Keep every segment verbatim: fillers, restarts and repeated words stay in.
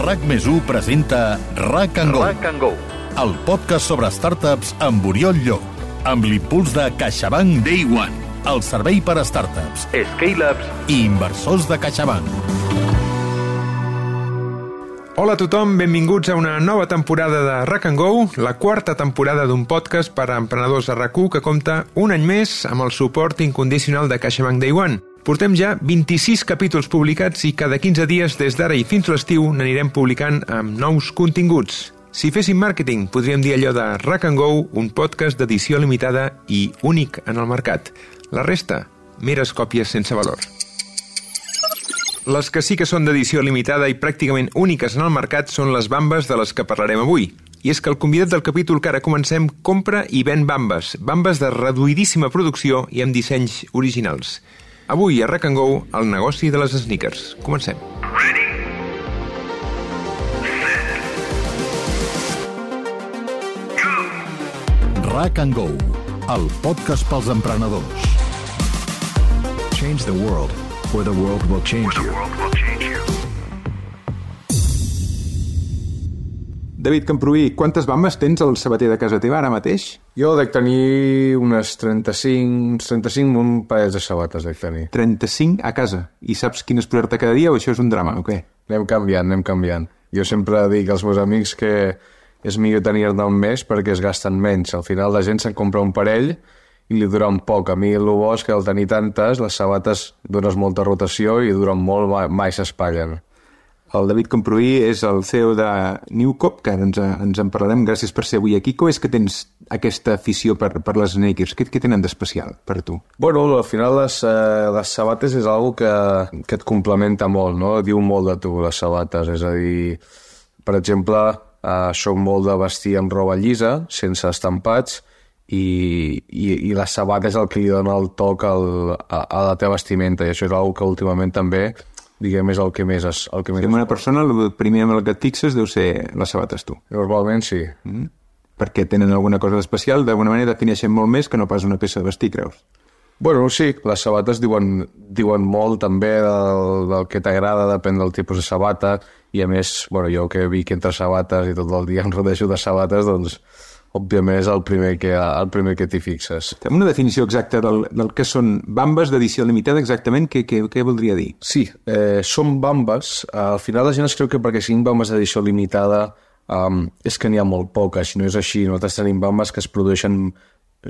RAC més u presenta RAC and Go, RAC and Go, el podcast sobre startups amb Oriol Llop, amb l'impuls de CaixaBank Day One, el servei per a startups, scale-ups i inversors de CaixaBank. Hola a tothom, benvinguts a una nova temporada de RAC and Go, la quarta temporada d'un podcast per a emprenedors de RAC u que compta un any més amb el suport incondicional de CaixaBank Day One. Portem ja vint-i-sis capítols publicats i cada quinze dies des d'ara i fins a l'estiu n'anirem publicant amb nous continguts. Si féssim màrqueting, podríem dir allò de RAC and Go, un podcast d'edició limitada i únic en el mercat. La resta, meres còpies sense valor. Les que sí que són d'edició limitada i pràcticament úniques en el mercat són les bambes de les que parlarem avui. I és que el convidat del capítol que ara comencem compra i ven bambes, bambes de reduïdíssima producció i amb dissenys originals. Avui a RAC and Go, el negoci de les sneakers. Comencem. RAC and Go, el podcast pels emprenedors. Change the world, or the world will change you. David Camproví, quantes bambes tens al sabater de casa teva ara mateix? Jo dec tenir unes trenta-cinc, trenta-cinc un parell de sabates dec tenir. trenta-cinc a casa. I saps quines posar-te cada dia o això és un drama o què? Anem canviant, anem canviant. Jo sempre dic als meus amics que és millor tenir-ne un mes perquè es gasten menys. Al final la gent se'n compra un parell i li dura un poc. A mi el bo és que al tenir tantes, les sabates dones molta rotació i duren molt, mai s'espatllen. El David Camproví és el C E O de Newcop, que ara ens, ens en parlarem. Gràcies per ser avui aquí. Com és que tens aquesta afició per, per les sneakers? Què, què tenen d'especial per tu? Bueno, al final les, eh, les sabates és algo que, que et complementa molt, no? Diu molt de tu, les sabates. És a dir, per exemple, eh, soc molt de vestir amb roba llisa, sense estampats, i, i, i la sabata és el que li dona el toc al, a, a la teva vestimenta, i això és algo que últimament també diguem, és el que més... És, el que més si una persona, el primer amb el que et fixes deu ser les sabates, tu. Normalment sí. Mm? Perquè tenen alguna cosa d'especial, d'alguna manera defineixen molt més que no pas una peça de vestir, creus? Bueno, sí, les sabates diuen, diuen molt també del, del que t'agrada, depèn del tipus de sabata, i a més, bueno, jo que vic entre sabates i tot el dia em rodejo de sabates, doncs òbviament és el primer que, el primer que t'hi fixes. Fem una definició exacta del, del que són bambes d'edició limitada, exactament, què, què, què voldria dir? Sí, eh, són bambes. Al final la gent es creu que perquè siguin bambes d'edició limitada um, és que n'hi ha molt poques, no és així. Nosaltres tenim bambes que es produeixen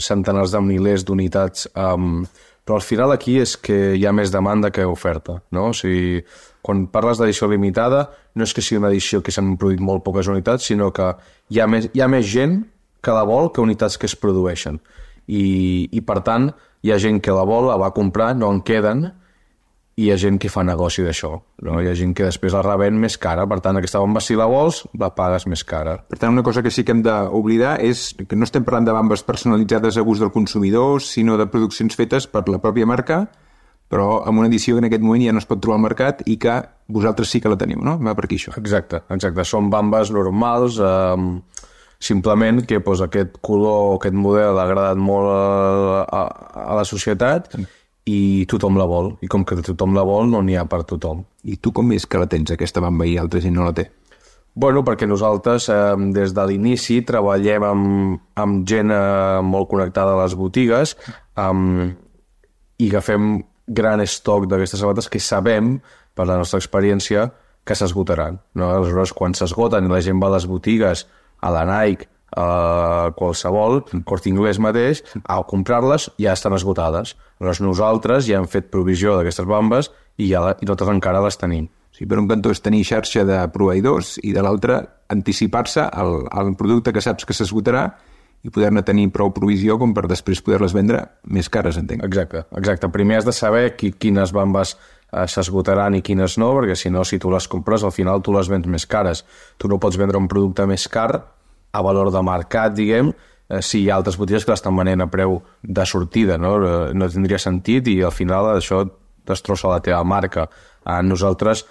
centenars de milers d'unitats, um, però al final aquí és que hi ha més demanda que oferta, no? O sigui, quan parles d'edició limitada no és que sigui una edició que s'han produït molt poques unitats, sinó que hi ha més, hi ha més gent que la vol que unitats que es produeixen. I, i per tant, hi ha gent que la vol, la va comprar, no en queden, i hi ha gent que fa negoci d'això. No? Hi ha gent que després la revèn més cara, per tant, aquesta bomba, si la vols, la pagues més cara. Per tant, una cosa que sí que hem d'oblidar és que no estem parlant de bambes personalitzades a gust del consumidor, sinó de produccions fetes per la pròpia marca, però amb una edició que en aquest moment ja no es pot trobar al mercat i que vosaltres sí que la teniu, no? Va per aquí això. Exacte, exacte. Són bambes normals, eh, simplement que pues, aquest color, aquest model ha agradat molt a, a, a la societat i tothom la vol. I com que tothom la vol, no n'hi ha per tothom. I tu com és que la tens, aquesta bamba, i altra gent no la té? Bueno, perquè nosaltres eh, des de l'inici treballem amb, amb gent eh, molt connectada a les botigues um, i agafem gran estoc d'aquestes sabates que sabem, per la nostra experiència, que s'esgotaran. No? Aleshores, quan s'esgoten i la gent va a les botigues, a la Nike, a qualsevol, Corte Inglés mateix, a comprar-les ja estan esgotades. Aleshores nosaltres ja hem fet provisió d'aquestes bambes i, ja la, i nosaltres encara les tenim. Sí, per un cantó és tenir xarxa de proveïdors i de l'altre anticipar-se al, al producte que saps que s'esgotarà i poder-ne tenir prou provisió com per després poder-les vendre més cares, entenc. Exacte, exacte. Primer has de saber qui, quines bambes eh, s'esgotaran i quines no, perquè si no, si tu les compres, al final tu les vens més cares. Tu no pots vendre un producte més car a valor de mercat, diguem, eh, si hi ha altres botigues que l'estan venent a preu de sortida, no? No tindria sentit i al final això destrossa la teva marca. Eh, nosaltres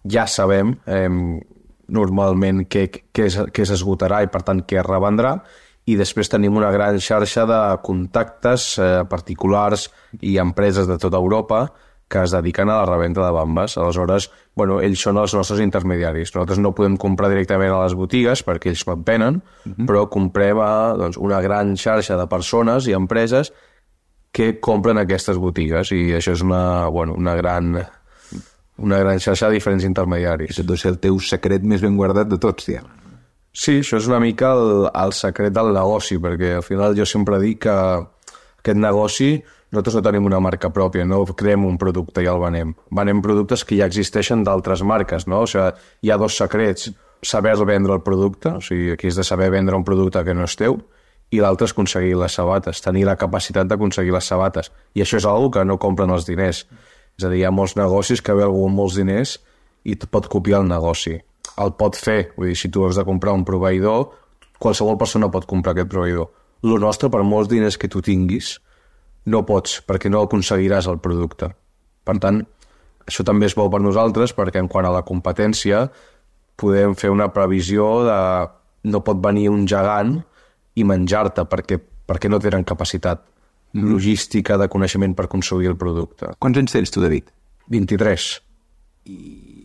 ja sabem eh, normalment què, què, es, què s'esgotarà i per tant què es revendrà, i després tenim una gran xarxa de contactes eh, particulars i empreses de tota Europa que es dediquen a la revenda de bambes. Aleshores, bueno, ells són els nostres intermediaris. Nosaltres no podem comprar directament a les botigues perquè ells en venen, uh-huh. però comprem a doncs, una gran xarxa de persones i empreses que compren aquestes botigues, i això és una, bueno, una gran... una gran xarxa de diferents intermediaris. Això deu ser el teu secret més ben guardat de tots, diguem. Sí, això és una mica el, el secret del negoci, perquè al final jo sempre dic que aquest negoci, nosaltres no tenim una marca pròpia, no creem un producte i el venem. Venem productes que ja existeixen d'altres marques, no? O sigui, hi ha dos secrets: saber vendre el producte, o sigui, aquí és de saber vendre un producte que no és teu, i l'altre és aconseguir les sabates, tenir la capacitat d'aconseguir les sabates. I això és una cosa que no compren els diners. És a dir, hi ha molts negocis que ve algú amb molts diners i et pot copiar el negoci. El pot fer, vull dir, si tu has de comprar un proveïdor, qualsevol persona pot comprar aquest proveïdor. Lo nostre, per molts diners que tu tinguis, no pots, perquè no aconseguiràs el producte. Per tant, això també és bo per nosaltres, perquè en quant a la competència podem fer una previsió de no pot venir un gegant i menjar-te, perquè, perquè no tenen capacitat logística de coneixement per construir el producte. Quants anys tens tu, David? vint-i-tres. I,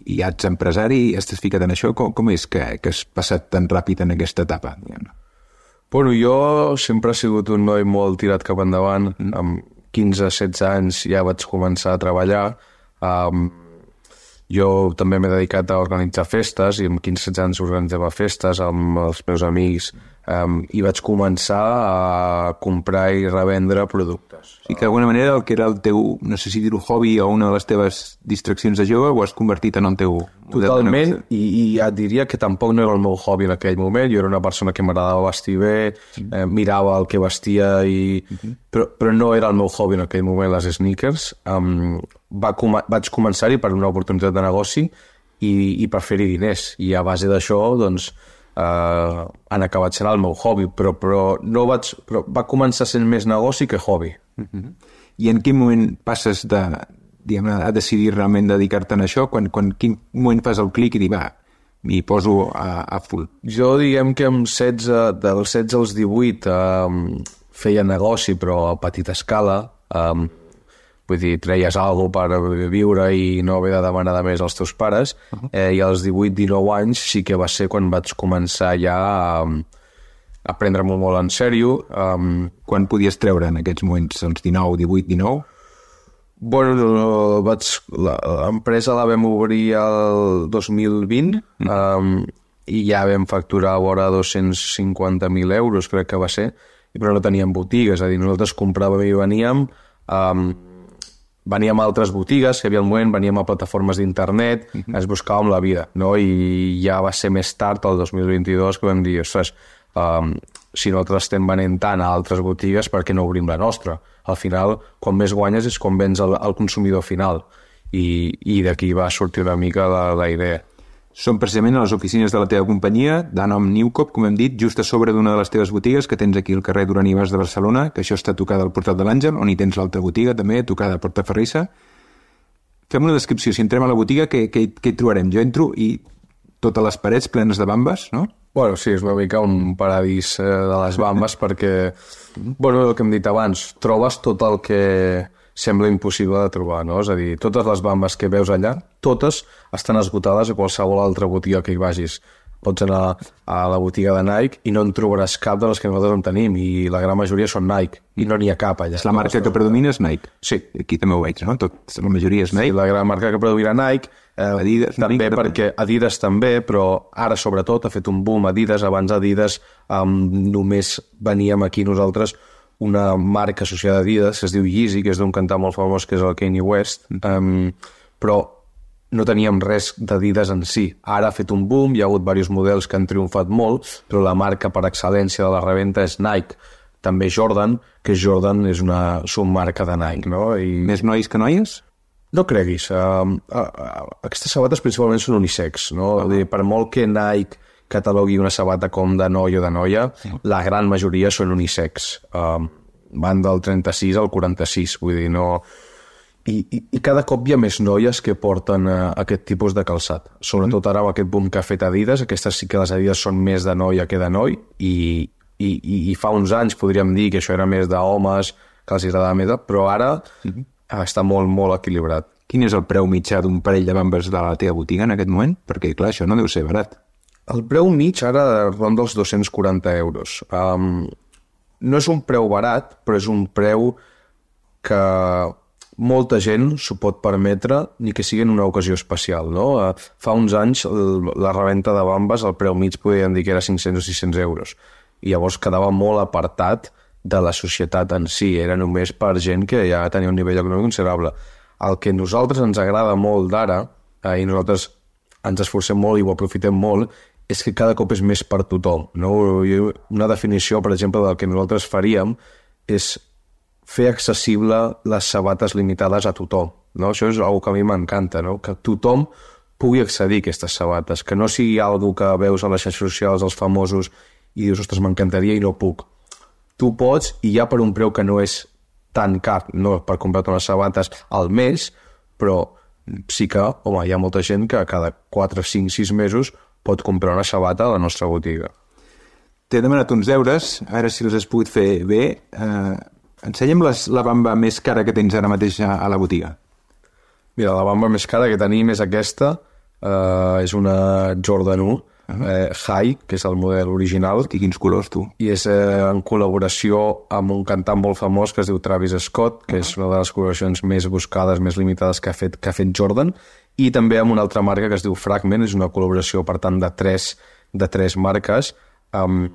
i ja ets empresari i estàs ficat en això? Com, com és que, que has passat tan ràpid en aquesta etapa? Bueno, jo sempre he sigut un noi molt tirat cap endavant. Mm. Amb quinze setze anys ja vaig començar a treballar. Um, jo també m'he dedicat a organitzar festes, i amb quinze setze anys organitzava festes amb els meus amics. Um, i vaig començar a comprar i revendre productes. I que d'alguna manera el que era el teu, no sé si dir-ho, hobby o una de les teves distraccions de jove, ho has convertit en el teu... Totalment, i, i ja et diria que tampoc no era el meu hobby en aquell moment. Jo era una persona que m'agradava vestir bé, eh, mirava el que vestia, i... Uh-huh. però, però no era el meu hobby en aquell moment, les sneakers. Um, va com vaig començar-hi per una oportunitat de negoci i, i per fer-hi diners. I a base d'això, doncs, Uh, han acabat sent el meu hobby, però, però, no vaig, però va començar sent més negoci que hobby. Uh-huh. I en quin moment passes de, diguem, a decidir realment dedicar-te a això? Quan, quan, quin moment fas el clic i dir, va, m'hi poso a, a full? Jo diguem que amb setze, dels setze als divuit um, feia negoci, però a petita escala. Um, vull dir, treies alguna cosa per viure i no haver de demanar de més als teus pares. Uh-huh. eh, i als divuit dinou anys sí que va ser quan vaig començar ja a, a prendre-m'ho molt en sèrio. Um, quan podies treure en aquests moments, els dinou, divuit, dinou? Bueno, vaig, l'empresa la vam obrir el dos mil vint, uh-huh. um, i ja vam facturar a vora dos-cents cinquanta mil euros, crec que va ser, però no teníem botigues, és a dir, nosaltres compràvem i veníem... Um, veníem a altres botigues, que hi havia el moment, veníem a plataformes d'internet, uh-huh. ens buscàvem la vida, no? I ja va ser més tard, el dos mil vint-i-dos, que vam dir, ostres, um, si nosaltres estem venent tant a altres botigues, per què no obrim la nostra? Al final, quan més guanyes és quan vens al, al consumidor final, i, i d'aquí va sortir una mica la, la idea. Són precisament a les oficines de la teva companyia, de nom Newcop, com hem dit, just a sobre d'una de les teves botigues que tens aquí al carrer Duran i Bas de Barcelona, que això està tocada al Portal de l'Àngel, on hi tens l'altra botiga també, tocada a Portaferrissa. Fem una descripció. Si entrem a la botiga, què, què, què hi trobarem? Jo entro i totes les parets plenes de bambes, no? Bueno, sí, és una mica un paradís eh, de les bambes perquè, bueno, el que hem dit abans, trobes tot el que sembla impossible de trobar, no? És a dir, totes les bambes que veus allà, totes estan esgotades a qualsevol altra botiga que hi vagis. Pots anar a la botiga de Nike i no en trobaràs cap de les que nosaltres en tenim, i la gran majoria són Nike, i no n'hi ha cap allà. És la marca que predomina és Nike. Sí. Aquí també ho veig, no? Tot, la majoria és Nike. Sí, la gran marca que predomina Nike, eh, Adidas, també Nike, perquè Adidas també, però ara sobretot ha fet un boom Adidas. Abans Adidas um, només veníem aquí nosaltres una marca associada a Adidas que es diu Yeezy, que és d'un cantant molt famós que és el Kanye West, um, però no teníem res d'Adidas en si. Ara ha fet un boom, hi ha hagut diversos models que han triomfat molt, però la marca per excel·lència de la reventa és Nike. També Jordan, que Jordan és una submarca de Nike, no? I... Més nois que noies? No creguis. Uh, uh, uh, aquestes sabates principalment són unisex, no? Uh-huh. Per molt que Nike catalogui una sabata com de noi o de noia, uh-huh. la gran majoria són unisex. Uh, van del trenta-sis al quaranta-sis, vull dir, no... I, i, i cada cop hi ha més noies que porten uh, aquest tipus de calçat. Sobretot ara amb aquest boom que ha fet Adidas, aquestes sí que les Adidas són més de noia que de noi, i, i, i, i fa uns anys podríem dir que això era més d'homes, que els agradava més, però ara uh-huh. està molt, molt equilibrat. quin és el preu mitjà d'un parell de bambes de la teva botiga en aquest moment? Perquè, clar, això no deu ser barat. El preu mig ara ronda els dos-cents quaranta euros. Um, no és un preu barat, però és un preu que molta gent s'ho pot permetre ni que sigui en una ocasió especial, no? Uh, fa uns anys el, la reventa de bambes, el preu mig podien dir que era cinc-cents o sis-cents euros. I llavors quedava molt apartat de la societat en si. Era només per gent que ja tenia un nivell econòmic considerable. El que a nosaltres ens agrada molt d'ara, eh, i nosaltres ens esforcem molt i ho aprofitem molt, és que cada cop és més per tothom, no? Una definició, per exemple, del que nosaltres faríem és fer accessible les sabates limitades a tothom, no? Això és una cosa que a mi m'encanta, no? Que tothom pugui accedir a aquestes sabates, que no sigui algo que veus a les xarxes socials, els famosos, i dius, ostres, m'encantaria i no puc. Tu pots, i ja per un preu que no és tan car, no per comprar-te unes sabates al mes, però sí que, home, hi ha molta gent que cada quatre, cinc, sis mesos pot comprar una sabata a la nostra botiga. T'he demanat uns deures, a veure si els has pogut fer bé. Eh, ensenya'm les, la bamba més cara que tens ara mateix a, a la botiga. Mira, la bamba més cara que tenim és aquesta, eh, és una Jordan u, uh-huh. eh, High, que és el model original. Hosti, quins colors, tu. I és eh, en col·laboració amb un cantant molt famós que es diu Travis Scott, que uh-huh. és una de les col·laboracions més buscades, més limitades que ha fet, que ha fet Jordan, i també amb una altra marca que es diu Fragment, és una col·laboració, per tant, de tres, de tres marques, um,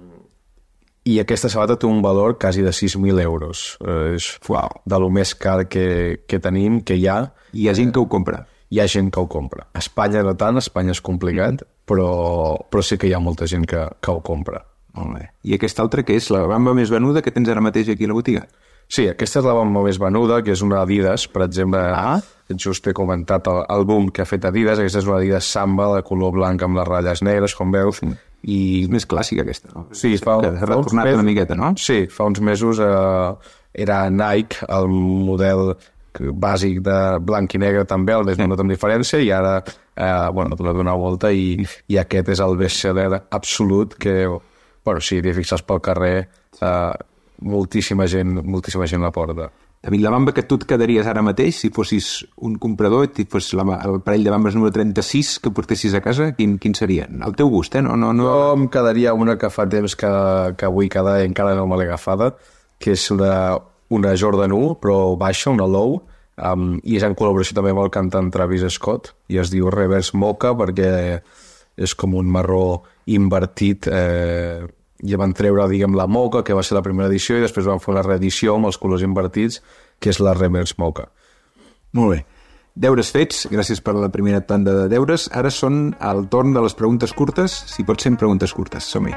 i aquesta sabata té un valor quasi de sis mil euros. Uh, és wow. de lo més car que, que tenim, que hi ha. I hi ha gent que ho compra. Hi ha gent que ho compra. A Espanya no tant, a Espanya és complicat, mm. però, però sí que hi ha molta gent que, que ho compra. Molt bé. I aquesta altra, que és la bamba més venuda que tens ara mateix aquí a la botiga? Sí, aquesta és la bamba més venuda, que és una Adidas, per exemple. Ah. Just he comentat el, el boom que ha fet Adidas. Aquesta és una Adidas Samba de color blanc amb les ratlles negres, com veus. Mm. I és més clàssica, aquesta, no? Sí, fa, que ha retornat mesos, una miqueta, no? Sí, fa uns mesos eh, era Nike, el model bàsic de blanc i negre també, el més venut amb diferència, i ara eh, bueno, t'ho donar volta i, i aquest és el best-seller absolut que, bueno, sí, t'hi fixes pel carrer, eh, moltíssima gent, moltíssima gent la porta. David, la bamba que tu et quedaries ara mateix, si fossis un comprador, si fos la, el parell de bambes número trenta-sis que portessis a casa, quin, quin serien? Al teu gust, eh? No, no, no... Jo em quedaria una que fa temps que, que vull quedar i encara no me l'he agafada, que és una, una Jordan u, però baixa, una low, um, i és en col·laboració també amb el cantant Travis Scott, i es diu Reverse Mocha perquè és com un marró invertit, eh, i van treure, diguem, la Mocha, que va ser la primera edició, i després van fer una reedició amb els colors invertits, que és la Reverse Mocha. Molt bé. Deures fets, gràcies per la primera tanda de deures. Ara són el torn de les preguntes curtes, si pot ser en preguntes curtes. Som-hi.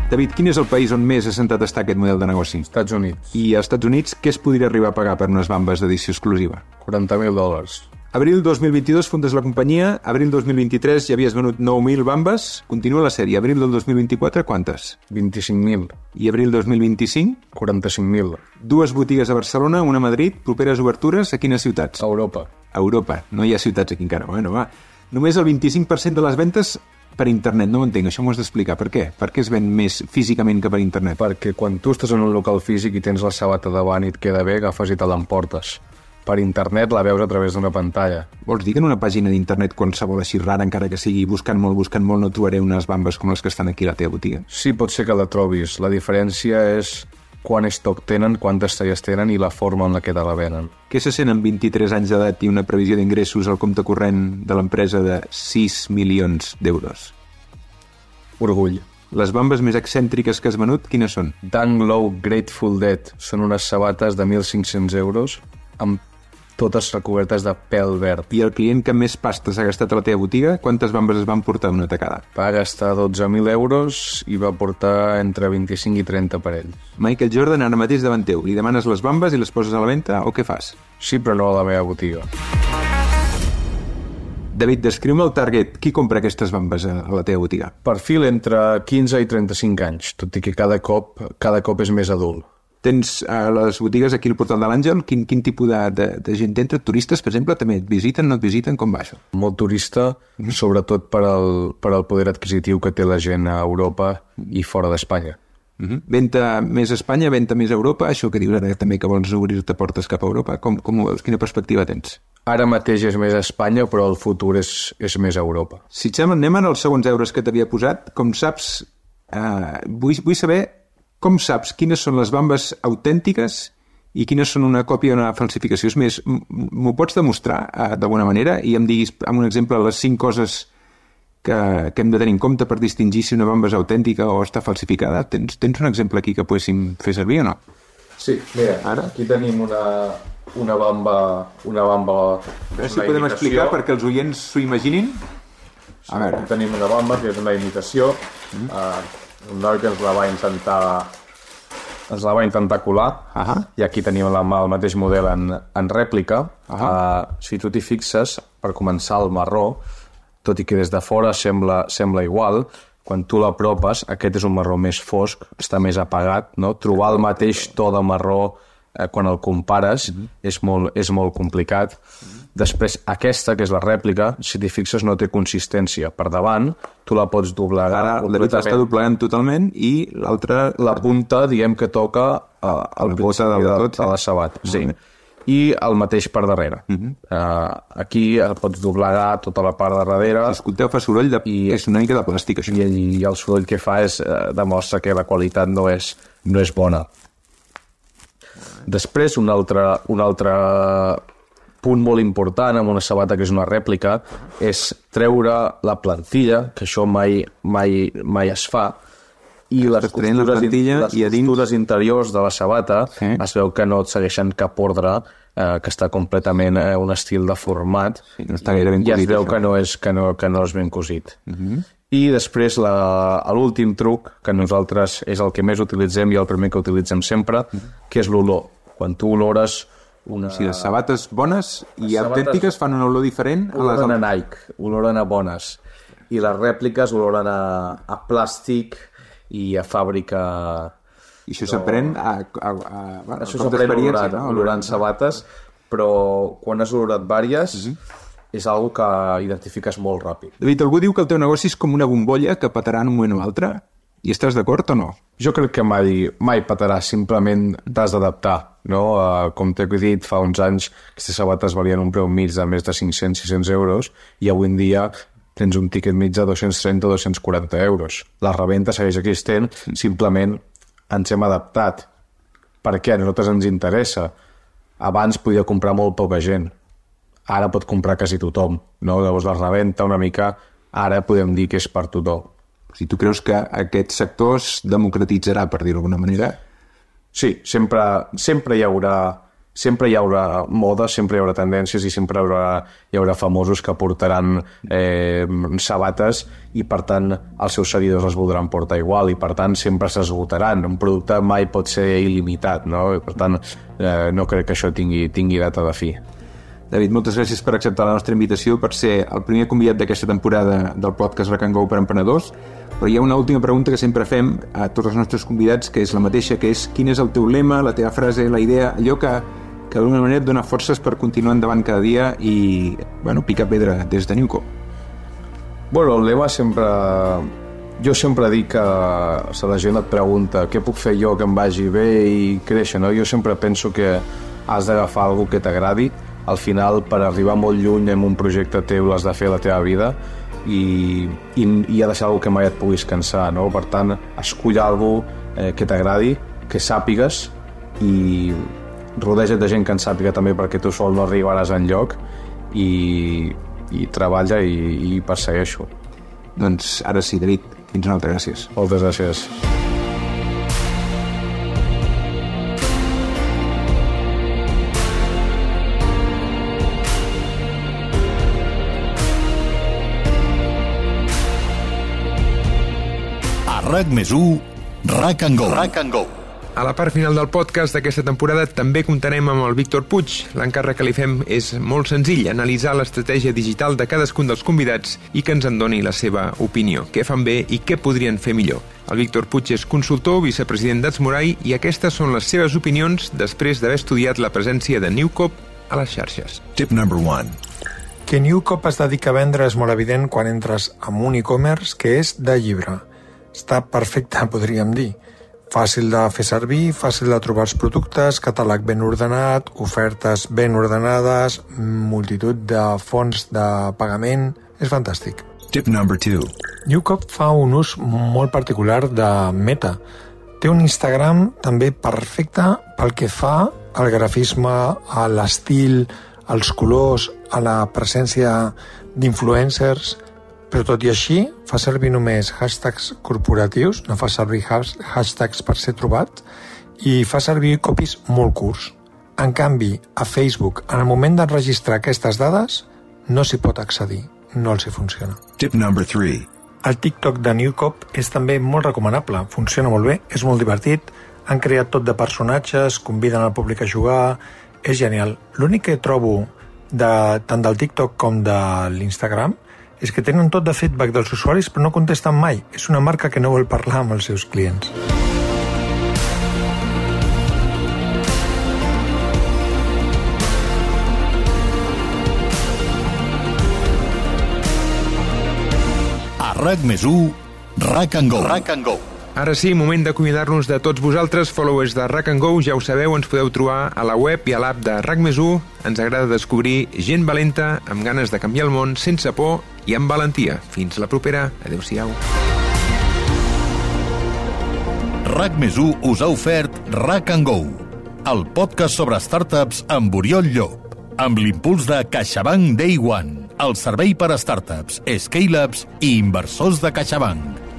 David, quin és el país on més assentat està aquest model de negoci? Estats Units. I als Estats Units què es podria arribar a pagar per unes bambes d'edició exclusiva? quaranta mil dòlars. Abril dos mil vint-i-dos fundes la companyia, abril dos mil vint-i-tres ja havies venut nou mil bambes, continua la sèrie, abril del dos mil vint-i-quatre quantes? vint-i-cinc mil. I abril dos mil vint-i-cinc? quaranta-cinc mil. Dues botigues a Barcelona, una a Madrid, properes obertures a quines ciutats? A Europa. A Europa, no hi ha ciutats aquí encara, bueno, va. Només el vint-i-cinc per cent de les ventes per internet, no ho entenc, això m'ho has d'explicar, per què? Per què es ven més físicament que per internet? Perquè quan tu estàs en un local físic i tens la sabata davant i et queda bé, agafes i te l'emportes. Per internet la veus a través d'una pantalla. Vols dir que en una pàgina d'internet qualsevol així rara, encara que sigui buscant molt, buscant molt, no trobaré unes bambes com les que estan aquí a la teva botiga? Sí, pot ser que la trobis. La diferència és quant estoc tenen, quantes talles tenen i la forma en la que te la venen. Què se sent amb vint-i-tres anys d'edat i una previsió d'ingressos al compte corrent de l'empresa de sis milions d'euros? Orgull. Les bambes més excèntriques que has venut, quines són? Dunk Low Grateful Dead. Són unes sabates de mil cinc-cents euros amb totes recobertes de pèl verd. I el client que més pastes ha gastat a la teva botiga, quantes bambes es van portar una tacada? Va gastar dotze mil euros i va portar entre vint-i-cinc i trenta parells. Michael Jordan ara mateix davant teu. Li demanes les bambes i les poses a la venda o què fas? Sí, però no a la meva botiga. David, descriu-me el target. Qui compra aquestes bambes a la teva botiga? Perfil entre quinze i trenta-cinc anys, tot i que cada cop, cada cop és més adult. Tens a les botigues aquí al Portal de l'Àngel, quin, quin tipus de, de, de gent entra? Turistes, per exemple, també et visiten, no et visiten? Com va això? Molt turista, mm-hmm. sobretot per al, per al poder adquisitiu que té la gent a Europa i fora d'Espanya. Uh-huh. Venta més a Espanya, venta més a Europa, això que dius ara també que vols obrir-te portes cap a Europa, com, com ho veus? Quina perspectiva tens? Ara mateix és més a Espanya, però el futur és, és més a Europa. Si et sembla, anem ara als segons euros que t'havia posat. Com saps, eh, vull, vull saber com saps quines són les bambes autèntiques i quines són una còpia o una falsificació. És més, m'ho pots demostrar eh, d'alguna manera i em diguis, amb un exemple, les cinc coses que, que hem de tenir en compte per distingir si una bamba és autèntica o està falsificada? Tens, tens un exemple aquí que poguéssim fer servir o no? Sí, mira, ara aquí tenim una, una bamba... Una bamba a veure si podem imitació. Explicar perquè els oients s'ho imaginin. A veure. Aquí tenim una bamba que és una imitació. Mm. Uh, un noi que ens la va intentar... ens la va intentar colar, uh-huh. I aquí tenim la, el mateix model en, en rèplica. Uh-huh. Uh, si tu t'hi fixes, per començar el marró, tot i que des de fora sembla, sembla igual, quan tu l'apropes, aquest és un marró més fosc, està més apagat, no? Trobar el mateix to de marró eh, quan el compares uh-huh. és, molt, és molt complicat. Uh-huh. Després, aquesta, que és la rèplica, si t'hi fixes, no té consistència. Per davant, tu la pots doblegar. Ara, la veritat està doblegant totalment i l'altra... La punta, diguem que toca uh, el bot de, de, de, de la sabata. Sí. I el mateix per darrere. Uh-huh. Uh, aquí el pots doblegar tota la part de darrere. Si escolteu, fa soroll de... I, és una mica de plàstic, això. I, i el soroll que fa és, uh, demostra que la qualitat no és, no és bona. Després, un altre... Un altre punt molt important amb una sabata que és una rèplica és treure la plantilla, que això mai, mai, mai es fa, i les costures, la plantilla, les i a dins... costures interiors de la sabata sí. Es veu que no et segueixen cap ordre, eh, que està completament eh, un estil de format, sí, no està gaire ben cosit, i es veu això. que no, és, que, no, que no és ben cosit. Uh-huh. I després l'últim truc, que nosaltres és el que més utilitzem i el primer que utilitzem sempre, uh-huh. que és l'olor. Quan tu olores una... O sigui, les sabates bones i sabates autèntiques fan una olor diferent a les... Oloren a Nike, oloren a bones. I les rèpliques oloren a, a plàstic i a fàbrica... I això s'aprèn a, a, a, a, això s'aprèn olorant, no? olorant sabates, però quan has olorat vàries uh-huh. és algo que identifiques molt ràpid. David, algú diu que el teu negoci és com una bombolla que petarà en un moment o altre. I estàs d'acord o no? Jo crec que mai, mai petarà, simplement t'has d'adaptar, no? Uh, com t'he dit, fa uns anys aquestes sabates valien un preu mig de més de cinc-cents a sis-cents euros i avui en dia tens un tiquet mig de dos-cents trenta a dos-cents quaranta euros. La reventa segueix existent, simplement ens hem adaptat. Per què? A nosaltres ens interessa. Abans podia comprar molt poca gent. Ara pot comprar quasi tothom, no? Llavors la reventa una mica, ara podem dir que és per tothom. Si tu creus que aquest sector es democratitzarà, per dir-ho d'alguna manera? Sí, sempre, sempre hi haurà sempre hi haurà moda, sempre hi haurà tendències i sempre hi haurà, hi haurà famosos que portaran eh, sabates i per tant els seus seguidors les voldran portar igual i per tant sempre s'esgotaran. Un producte mai pot ser il·limitat, no? I per tant eh, no crec que això tingui, tingui data de fi. David, moltes gràcies per acceptar la nostra invitació, per ser el primer convidat d'aquesta temporada del podcast Rack and Go per emprenedors. Però hi ha una última pregunta que sempre fem a tots els nostres convidats, que és la mateixa, que és quin és el teu lema, la teva frase, la idea, allò que, que d'alguna manera et dona forces per continuar endavant cada dia i, bueno, picar pedra des de Newco. Bueno, el lema sempre... Jo sempre dic que si la gent et pregunta què puc fer jo que em vagi bé i créixer, no? Jo sempre penso que has d'agafar alguna que t'agradi. Al final, per arribar molt lluny en un projecte teu has de fer la teva vida i, i, i ha de ser alguna que mai et puguis cansar, no? Per tant, escull alguna eh, que t'agradi, que sàpigues i rodeja't de gent que en sàpiga també perquè tu sol no arribaràs enlloc i, i treballa i, i persegueixo. Doncs ara sí, David, fins una altra, gràcies. Moltes gràcies. RAC més u, Rack and Go. Rack and Go. A la part final del podcast d'aquesta temporada també comptarem amb el Víctor Puig. L'encàrrec que li fem és molt senzill, analitzar l'estratègia digital de cadascun dels convidats i que ens en doni la seva opinió, què fan bé i què podrien fer millor. El Víctor Puig és consultor, vicepresident d'Atsmorai i aquestes són les seves opinions després d'haver estudiat la presència de Newco a les xarxes. Tip number one. Que Newco es dedica a vendre és molt evident quan entres en un e-commerce que és de llibre. Està perfecte, podríem dir. Fàcil de fer servir, fàcil de trobar els productes, catàleg ben ordenat, ofertes ben ordenades, multitud de fonts de pagament... És fantàstic. Tip number two. Newcop fa un ús molt particular de Meta. Té un Instagram també perfecte pel que fa al grafisme, a l'estil, als colors, a la presència d'influencers, però tot i així fa servir només hashtags corporatius, no fa servir hashtags per ser trobat, i fa servir copies molt curts. En canvi, a Facebook, en el moment d'enregistrar aquestes dades, no s'hi pot accedir, no els hi funciona. Tip number three. El TikTok de Newcop és també molt recomanable, funciona molt bé, és molt divertit, han creat tot de personatges, conviden al públic a jugar, és genial. L'únic que trobo de, tant del TikTok com de l'Instagram és que tenen tot de feedback dels usuaris però no contesten mai. És una marca que no vol parlar amb els seus clients. A RAC més u, RAC and Go. RAC and Go. Ara sí, moment d'acomiadar-nos de tots vosaltres, followers de RAC and Go, ja ho sabeu, ens podeu trobar a la web i a l'app de RAC més u. Ens agrada descobrir gent valenta, amb ganes de canviar el món, sense por i amb valentia. Fins la propera. Adéu-siau. RAC més u us ha ofert RAC and Go, el podcast sobre startups amb Oriol Llop, amb l'impuls de CaixaBank Day One, el servei per a startups, scale-ups i inversors de CaixaBank.